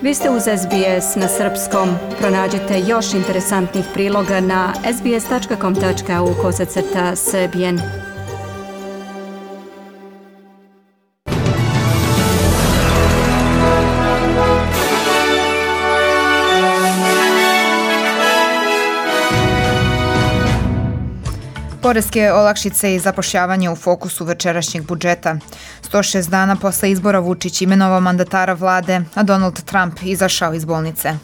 Vi ste uz SBS na srpskom. Pronađite još interesantnih priloga na sbs.com.au/srbijen. Poreske olakšice i zapošljavanje u fokusu večerašnjeg budžeta. 106 dana posle izbora Vučić imenovao mandatara vlade, a Donald Trump izašao iz bolnice.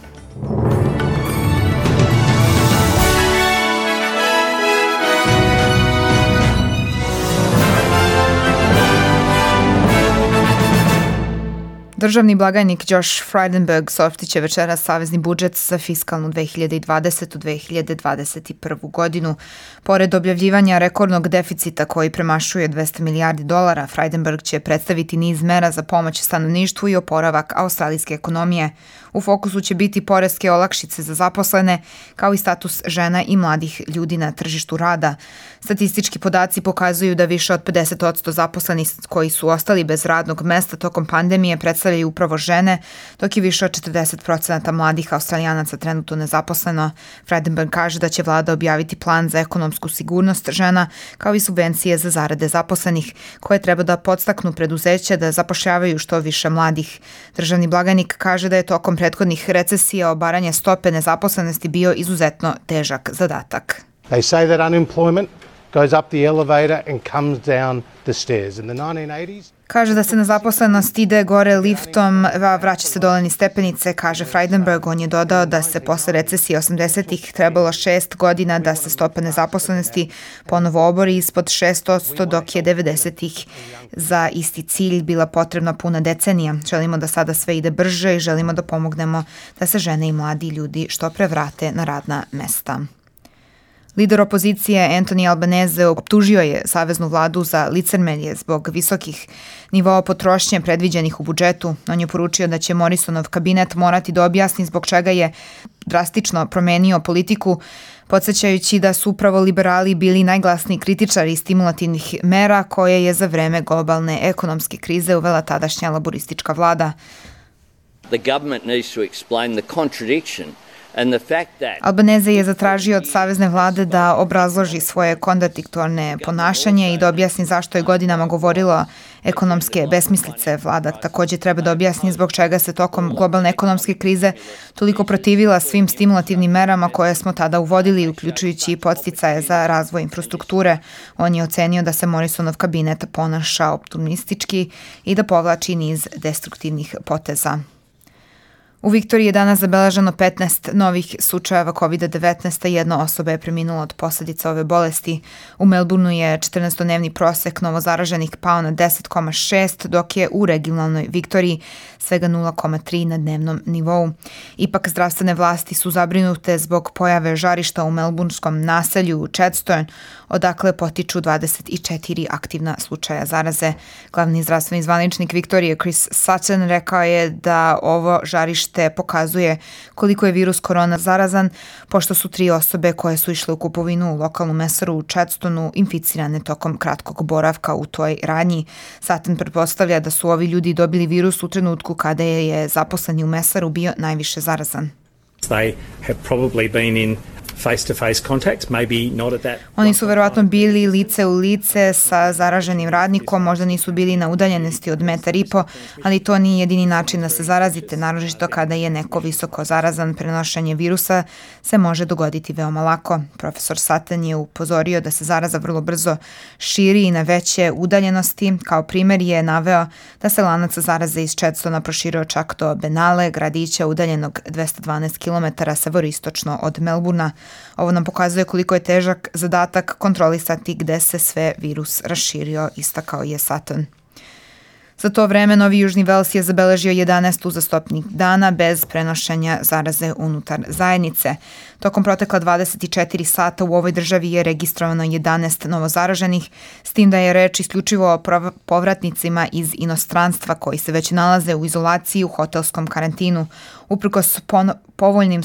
Državni blagajnik Josh Frydenberg saopštiće večeras savezni budžet za fiskalnu 2020-2021. godinu. Pored objavljivanja rekordnog deficita koji premašuje $200 milijardi, Frydenberg će predstaviti niz mera za pomoć stanovništvu i oporavak australijske ekonomije. U fokusu će biti poreske olakšice za zaposlene, kao i status žena i mladih ljudi na tržištu rada. Statistički podaci pokazuju da više od 50% zaposlenih koji su ostali bez radnog mesta tokom pandemije predstavljaju upravo žene, dok je više od 40% mladih Australijanaca trenutno nezaposleno. Frydenberg kaže da će vlada objaviti plan za ekonomsku sigurnost žena, kao i subvencije za zarade zaposlenih, koje treba da podstaknu preduzeća da zapošljavaju što više mladih. Državni blagajnik kaže da je tokom prethodnih recesija obaranje stope nezaposlenosti bio izuzetno težak zadatak. They say that unemployment goes up the elevator and comes down the stairs. In the 1980s, kaže da se nezaposlenost ide gore liftom, a vraća se dole niz stepenice, kaže Frydenberg. On je dodao da se posle recesije 80-ih trebalo 6 godina da se stopa nezaposlenosti ponovo obori ispod 6%, dok je 90-ih za isti cilj bila potrebna puna decenija. Želimo da sada sve ide brže i želimo da pomognemo da se žene i mladi ljudi što pre vrate na radna mesta. Lider opozicije Anthony Albanese optužio je saveznu vladu za licemerje zbog visokih nivoa potrošnje predviđenih u budžetu. On je poručio da će Morrisonov kabinet morati da objasni zbog čega je drastično promenio politiku, podsjećajući da su upravo liberali bili najglasniji kritičari stimulativnih mera koje je za vreme globalne ekonomske krize uvela tadašnja laboristička vlada. The government needs to explain the contradiction. Albanese je zatražio od savezne vlade da obrazloži svoje kontradiktorne ponašanje i da objasni zašto je godinama govorilo ekonomske besmislice. Vlada također treba da objasni zbog čega se tokom globalne ekonomske krize toliko protivila svim stimulativnim merama koje smo tada uvodili, uključujući i podsticaje za razvoj infrastrukture. On je ocenio da se Morrisonov kabinet ponaša optimistički i da povlači niz destruktivnih poteza. U Viktoriji je danas zabeleženo 15 novih slučajeva COVID-19, jedna osoba je preminula od posljedica ove bolesti. U Melbourneu je 14-dnevni prosek novozaraženih pao na 10,6, dok je u regionalnoj Viktoriji svega 0,3 na dnevnom nivou. Ipak zdravstvene vlasti su zabrinute zbog pojave žarišta u melburnskom naselju Chadstone, odakle potiču 24 aktivna slučaja zaraze. Glavni zdravstveni zvaničnik Viktorije Chris Sutton rekao je da ovo žarište pokazuje koliko je virus korona zarazan, pošto su 3 osobe koje su išle u kupovinu u lokalnu mesaru u Chadstonu inficirane tokom kratkog boravka u toj radnji. Sutton pretpostavlja da su ovi ljudi dobili virus u trenutku kada je zaposleni u mesaru bio najviše zarazan. They have probably been in face-to-face contact, maybe not at that. Oni su verovatno bili lice u lice sa zaraženim radnikom, možda nisu bili na udaljenosti od 1,5 metra, ali to nije jedini način da se zarazite, naročito kada je neko visoko zarazan. Prenošenje virusa se može dogoditi veoma lako. Profesor Sutton je upozorio da se zaraza vrlo brzo širi i na veće udaljenosti. Kao primjer je naveo da se lanac zaraze iz Chadstona proširio čak do Benale, gradića udaljenog 212 km severistočno od Melbournea. Ovo nam pokazuje koliko je težak zadatak kontrolisati gde se sve virus raširio, istakao je Sutton. Za to vreme Novi Južni Vels je zabeležio 11 uzastopnih dana bez prenošenja zaraze unutar zajednice. Tokom protekla 24 sata u ovoj državi je registrovano 11 novozaraženih, s tim da je reč isključivo o povratnicima iz inostranstva koji se već nalaze u izolaciji u hotelskom karantinu. Uprkos povoljnim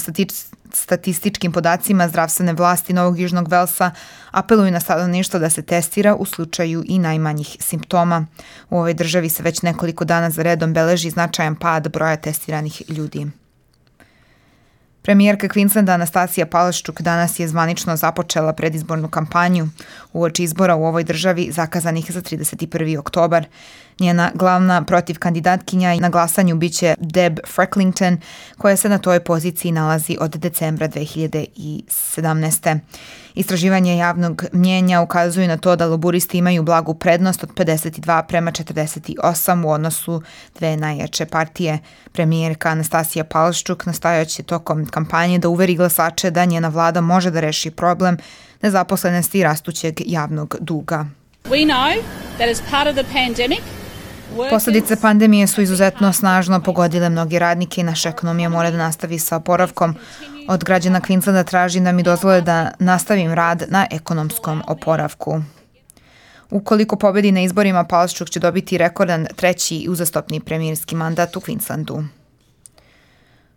statističkim podacima zdravstvene vlasti Novog Južnog Velsa apeluju na stanovništvo da se testira u slučaju i najmanjih simptoma. U ovoj državi se već nekoliko dana za redom beleži značajan pad broja testiranih ljudi. Premijerka Queenslanda Anastasija Palaszczuk danas je zvanično započela predizbornu kampanju uoči izbora u ovoj državi zakazanih za 31. oktobar. Njena glavna protivkandidatkinja na glasanju biće Deb Frecklington, koja se na toj poziciji nalazi od decembra 2017. Istraživanje javnog mnjenja ukazuju na to da laburisti imaju blagu prednost od 52:48 u odnosu dve najjače partije. Premijerka Anastasija Palaszczuk nastojaće tokom kampanje da uveri glasače da njena vlada može da reši problem nezaposlenosti i rastućeg javnog duga. We know that as part of the pandemic, posledice pandemije su izuzetno snažno pogodile mnoge radnike i naša ekonomija mora da nastavi sa oporavkom. Od građana Queenslanda tražim da mi dozvole da nastavim rad na ekonomskom oporavku. Ukoliko pobedi na izborima, Palaszczuk će dobiti rekordan treći uzastopni premijerski mandat u Queenslandu.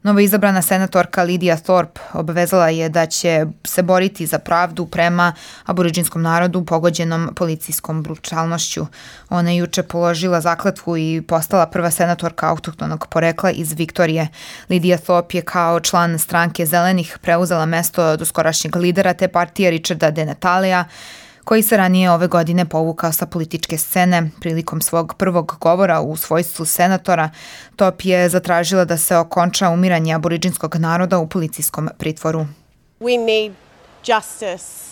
Novoizabrana senatorka Lydia Thorpe obavezala je da će se boriti za pravdu prema aboriđinskom narodu pogođenom policijskom brutalnošću. Ona je juče položila zakletvu i postala prva senatorka autohtonog porekla iz Viktorije. Lydia Thorpe je kao član stranke Zelenih preuzela mesto doskorašnjeg lidera te partije Richarda De Natalija, koji se ranije ove godine povukao sa političke scene. Prilikom svog prvog govora u svojstvu senatora, Thorpe je zatražila da se okonča umiranje aboriđinskog naroda u policijskom pritvoru. We need justice.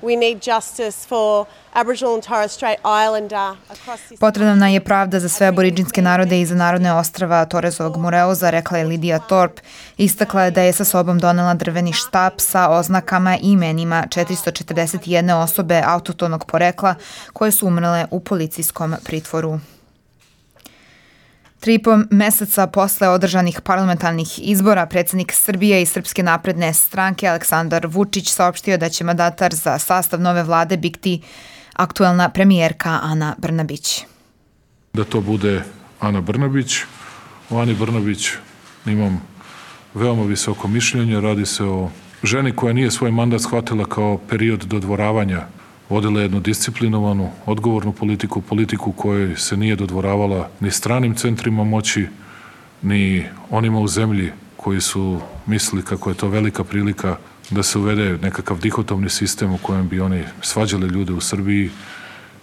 We need justice for Aboriginal and Torres Strait Islander across this. Potrebna je pravda za sve aboriđinske narode i za narodne ostrava Torresovog Moreuza, rekla je Lydia Thorpe. Istakla je da je sa sobom donela drveni štap sa oznakama i imenima 441 osobe autohtonog porekla koje su umrle u policijskom pritvoru. 3,5 meseca posle održanih parlamentarnih izbora, predsjednik Srbije i Srpske napredne stranke Aleksandar Vučić saopštio da će mandatar za sastav nove vlade biti aktuelna premijerka Ana Brnabić. Da to bude Ana Brnabić. O Ani Brnabić imam veoma visoko mišljenje. Radi se o ženi koja nije svoj mandat shvatila kao period dodvoravanja. Vodila jednu disciplinovanu, odgovornu politiku kojoj se nije dodvoravala ni stranim centrima moći, ni onima u zemlji koji su mislili kako je to velika prilika da se uvede nekakav dihotomni sistem u kojem bi oni svađali ljude u Srbiji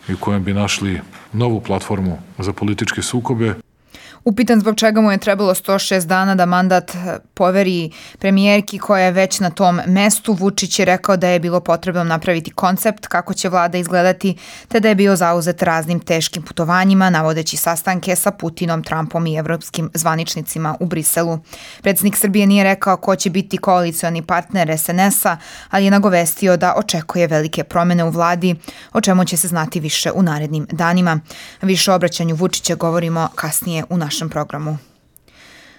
i u kojem bi našli novu platformu za političke sukobe. Upitan zbog čega mu je trebalo 106 dana da mandat poveri premijerki koja je već na tom mestu, Vučić je rekao da je bilo potrebno napraviti koncept kako će vlada izgledati, te da je bio zauzet raznim teškim putovanjima, navodeći sastanke sa Putinom, Trumpom i evropskim zvaničnicima u Briselu. Predsjednik Srbije nije rekao ko će biti koalicioni partner SNS-a, ali je nagovestio da očekuje velike promene u vladi, o čemu će se znati više u narednim danima. Više o obraćanju Vučića govorimo kasnije u našem programu.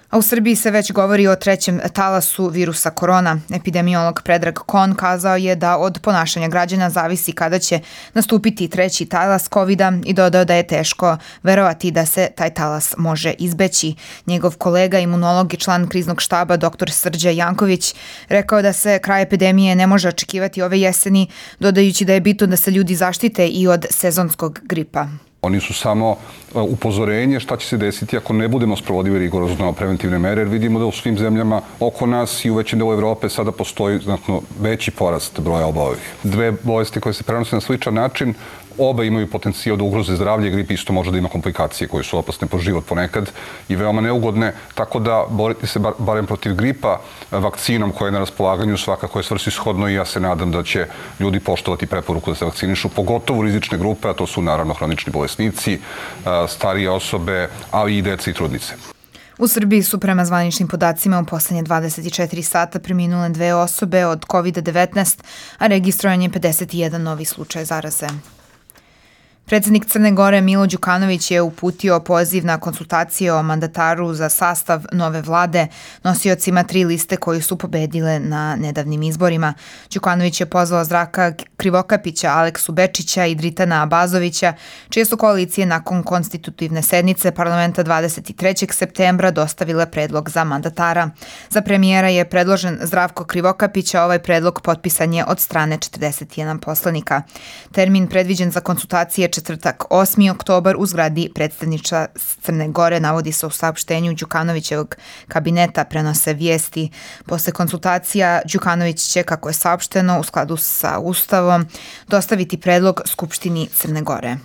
A u Srbiji se već govori o trećem talasu virusa korona. Epidemiolog Predrag Kon kazao je da od ponašanja građana zavisi kada će nastupiti treći talas COVID-a i dodao da je teško verovati da se taj talas može izbeći. Njegov kolega, imunolog i član kriznog štaba dr. Srđa Janković, rekao da se kraj epidemije ne može očekivati ove jeseni, dodajući da je bitno da se ljudi zaštite i od sezonskog gripa. Oni su samo upozorenje šta će se desiti ako ne budemo sprovodili rigorozno preventivne mere, jer vidimo da u svim zemljama oko nas i u većem delu Evrope sada postoji znatno veći porast broja obolelih. Dve bolesti koje se prenose na sličan način, oba imaju potencijal da ugroze zdravlje, grip isto može da ima komplikacije koje su opasne po život ponekad i veoma neugodne, tako da boriti se barem protiv gripa vakcinom koja je na raspolaganju svakako je svrsishodno i ja se nadam da će ljudi poštovati preporuku da se vakcinišu, pogotovo rizične grupe, a to su naravno hronični bolesnici, starije osobe, ali i deca i trudnice. U Srbiji su prema zvaničnim podacima u poslednje 24 sata preminule 2 osobe od COVID-19, a registrovan je 51 novi slučaj zaraze. Predsjednik Crne Gore Milo Đukanović je uputio poziv na konsultacije o mandataru za sastav nove vlade nosiocima 3 liste koji su pobedile na nedavnim izborima. Đukanović je pozvao Zdravka Krivokapića, Aleksu Bečića i Dritana Abazovića, čije su koalicije nakon konstitutivne sednice parlamenta 23. septembra dostavile predlog za mandatara. Za premijera je predložen Zdravko Krivokapić, a ovaj predlog potpisan je od strane 41 poslanika. Termin predviđen za konsultacije četvrtak 8. oktobar u zgradi predstavništva Crne Gore, navodi se u saopštenju Đukanovićevog kabineta, prenose vijesti. Posle konsultacija Đukanović će, kako je saopšteno, u skladu sa Ustavom, dostaviti predlog Skupštini Crne Gore.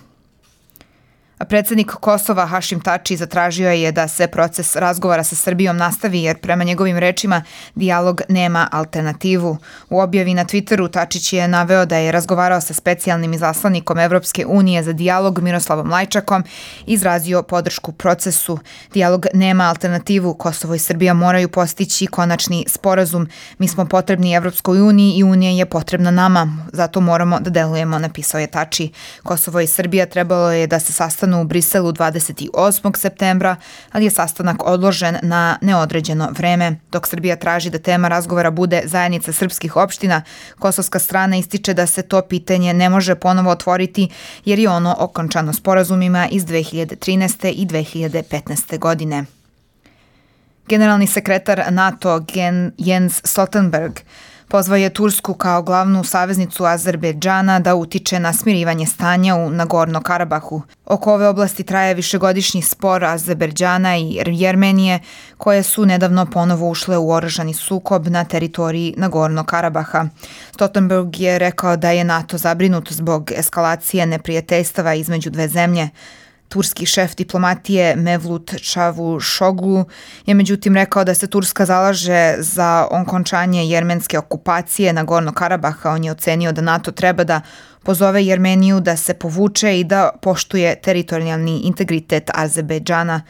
A predsjednik Kosova Hašim Tači zatražio je da se proces razgovora sa Srbijom nastavi jer prema njegovim rečima dijalog nema alternativu. U objavi na Twitteru Tačić je naveo da je razgovarao sa specijalnim izaslanikom Evropske unije za dijalog Miroslavom Lajčakom i izrazio podršku procesu. Dijalog nema alternativu, Kosovo i Srbija moraju postići konačni sporazum. Mi smo potrebni Evropskoj uniji i Unija je potrebna nama, zato moramo da delujemo, napisao je Tači. Kosovo i Srbija trebalo je da se sastanu u Briselu 28. septembra, ali je sastanak odložen na neodređeno vreme. Dok Srbija traži da tema razgovora bude zajednica srpskih opština, kosovska strana ističe da se to pitanje ne može ponovo otvoriti jer je ono okončano sporazumima iz 2013. i 2015. godine. Generalni sekretar NATO Jens Stoltenberg pozvao je Tursku kao glavnu saveznicu Azerbejdžana da utiče na smirivanje stanja u Nagorno-Karabahu. Oko ove oblasti traje višegodišnji spor Azerbejdžana i Jermenije, koje su nedavno ponovo ušle u oružani sukob na teritoriji Nagorno-Karabaha. Stoltenberg je rekao da je NATO zabrinut zbog eskalacije neprijateljstava između dve zemlje. Turski šef diplomatije Mevlut Čavuşoglu je međutim rekao da se Turska zalaže za okončanje jermenske okupacije Nagorno-Karabaha. On je ocenio da NATO treba da pozove Jermeniju da se povuče i da poštuje teritorijalni integritet Azerbejdžana.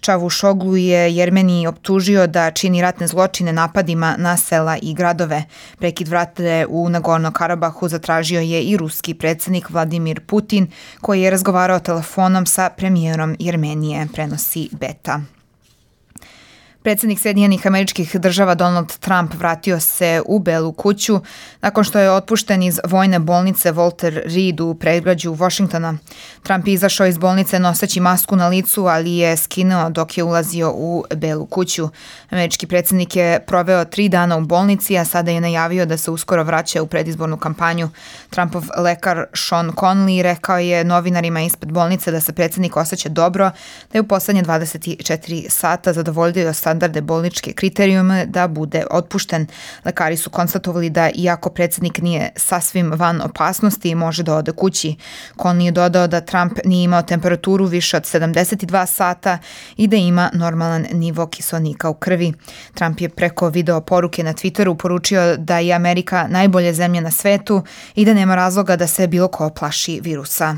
Čavuşoglu je Jermeniji optužio da čini ratne zločine napadima na sela i gradove. Prekid vatre u Nagorno-Karabahu zatražio je i ruski predsjednik Vladimir Putin, koji je razgovarao telefonom sa premijerom Jermenije, prenosi Beta. Predsjednik Sjedinjenih Američkih Država Donald Trump vratio se u Belu kuću nakon što je otpušten iz vojne bolnice Walter Reed u predgrađu Washingtona. Trump je izašao iz bolnice noseći masku na licu, ali je skinuo dok je ulazio u Belu kuću. Američki predsjednik je proveo 3 dana u bolnici, a sada je najavio da se uskoro vraća u predizbornu kampanju. Trumpov lekar Sean Conley rekao je novinarima ispred bolnice da se predsjednik osjeća dobro, da je u poslednje 24 sata zadovoljio standarde bolničke kriterijume da bude otpušten. Lekari su konstatovali da iako predsjednik nije sasvim van opasnosti, može da ode kući. Conley je dodao da Trump nije imao temperaturu više od 72 sata i da ima normalan nivo kiseonika u krvi. Trump je preko video poruke na Twitteru poručio da je Amerika najbolja zemlja na svetu i da nema razloga da se bilo ko plaši virusa.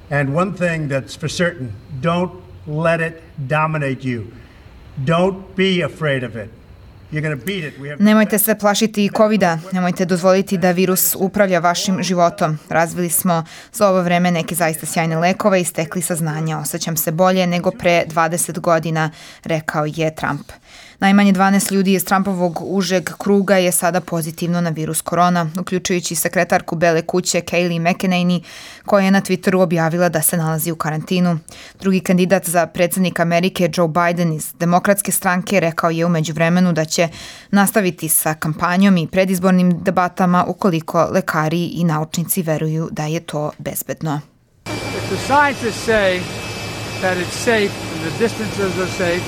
And one thing that's for certain, don't let it dominate you. Don't be afraid of it. Nemojte se plašiti COVID-a, nemojte dozvoliti da virus upravlja vašim životom. Razvili smo za ovo vreme neke zaista sjajne lekove i stekli saznanja. Osjećam se bolje nego pre 20 godina, rekao je Trump. Najmanje 12 ljudi iz Trumpovog užeg kruga je sada pozitivno na virus korona, uključujući sekretarku Bele kuće Kayleigh McEnany, koja je na Twitteru objavila da se nalazi u karantinu. Drugi kandidat za predsjednika Amerike, Joe Biden iz Demokratske stranke, rekao je u međuvremenu da će nastaviti sa kampanjom i predizbornim debatama ukoliko lekari i naučnici veruju da je to bezbedno. If the scientists say that it's safe and the distances are safe,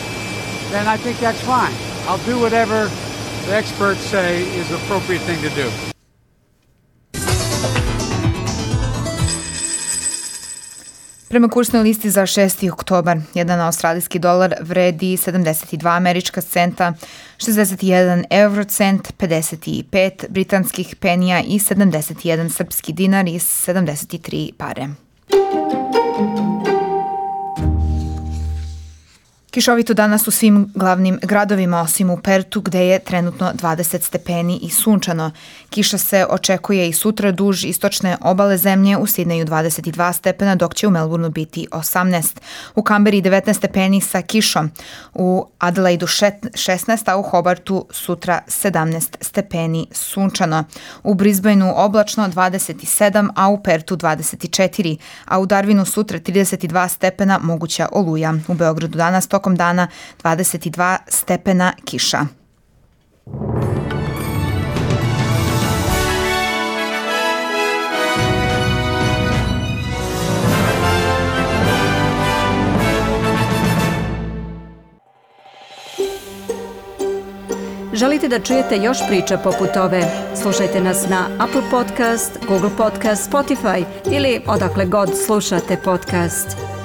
then I think that's fine. I'll do whatever the experts say is the appropriate thing to do. Prema kursnoj listi za 6. oktobar, jedan australijski dolar vredi 72 američka centa, 61 eurocent, 55 britanskih penija i 71 srpski dinar i 73 pare. Kišovito danas u svim glavnim gradovima, osim u Pertu gde je trenutno 20 stepeni i sunčano. Kiša se očekuje i sutra duž istočne obale zemlje, u Sidneju 22 stepena, dok će u Melbourneu biti 18. U Kamberi 19 stepeni sa kišom, u Adelaidu 16, a u Hobartu sutra 17 stepeni sunčano. U Brisbaneu oblačno 27, a u Pertu 24, a u Darwinu sutra 32 stepena, moguća oluja. U Beogradu danas tokom dana 22 stepena kiša. Želite da čujete još priča poput ove? Slušajte nas na Apple Podcast, Google Podcast, Spotify ili odakle god slušate podcast.